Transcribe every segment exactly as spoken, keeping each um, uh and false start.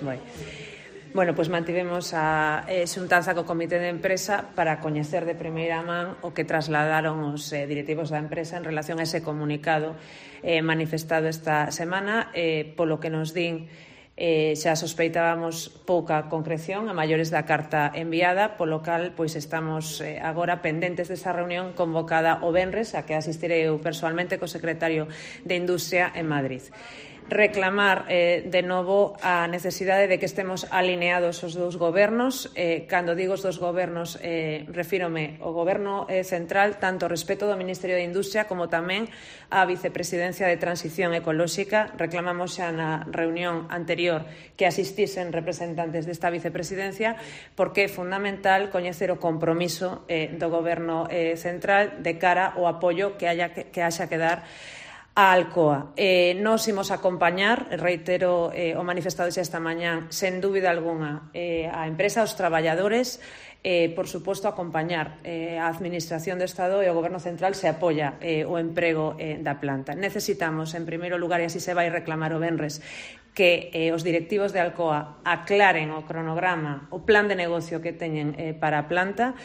Vai. Bueno, pois mantivemos a eh, xuntanza co Comité de Empresa para coñecer de primeira man o que trasladaron os eh, directivos da empresa en relación a ese comunicado eh, manifestado esta semana, eh, polo que nos din eh, xa sospeitábamos pouca concreción a maiores da carta enviada, polo cal pois estamos eh, agora pendentes desa reunión convocada o venres, a que asistirei eu persoalmente co secretario de Industria en Madrid. Reclamar eh, de novo a necesidade de que estemos alineados os dous gobernos. Eh, cando digo os dous gobernos, eh, refírome ao goberno eh, central, tanto respecto do Ministerio de Industria como tamén á Vicepresidencia de Transición Ecolóxica. Reclamamos xa na reunión anterior que asistisen representantes desta Vicepresidencia, porque é fundamental coñecer o compromiso eh, do goberno eh, central de cara ao apoio que haya que, que haxa que dar a Alcoa. Eh, nos imos acompañar, reitero eh, o manifestado xa esta mañán, sen dúbida algunha, eh, a empresa, os traballadores, eh, por suposto, acompañar eh, a Administración do Estado e o Goberno Central se apoia eh, o emprego eh, da planta. Necesitamos, en primeiro lugar, e así se vai reclamar o venres, que eh, os directivos de Alcoa aclaren o cronograma, o plan de negocio que teñen eh, para a planta.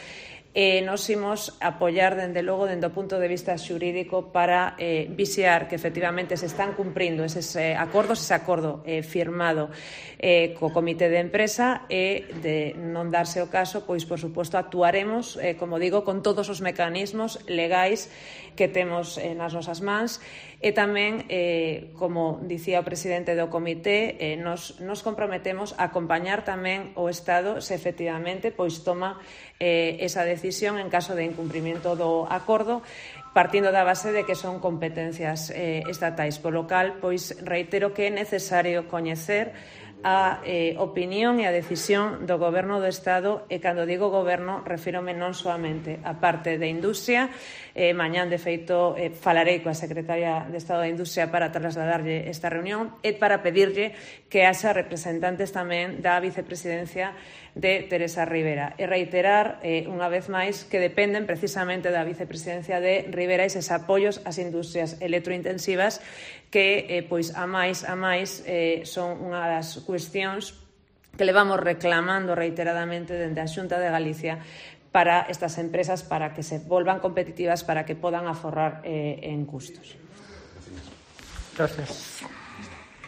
Eh, nos imos apoiar, dende logo, dende o punto de vista xurídico para eh, vixiar que efectivamente se están cumprindo eses eh, acordos, ese acordo eh, firmado eh, co Comité de Empresa, e de non darse o caso, pois, por suposto, actuaremos, eh, como digo, con todos os mecanismos legais que temos eh, nas nosas mans, e tamén, eh, como dicía o presidente do comité, eh, nos, nos comprometemos a acompañar tamén o Estado se efectivamente pois toma eh, esa decisión en caso de incumprimento do acordo, partindo da base de que son competencias eh, estatais. Por lo cal, pois reitero que é necesario coñecer a eh, opinión e a decisión do Goberno do Estado, e cando digo Goberno refírome non soamente a parte de Industria. Eh, mañán, de feito, eh, falarei coa Secretaria de Estado de Industria para trasladarlle esta reunión e para pedirlle que haxa representantes tamén da Vicepresidencia de Teresa Rivera, e reiterar eh, unha vez máis que dependen precisamente da Vicepresidencia de Rivera eses apoios ás industrias electrointensivas que, eh, pois, a máis a máis eh, son unha das cuestións que levamos reclamando reiteradamente dende a Xunta de Galicia para estas empresas, para que se volvan competitivas, para que podan aforrar eh, en custos. Gracias.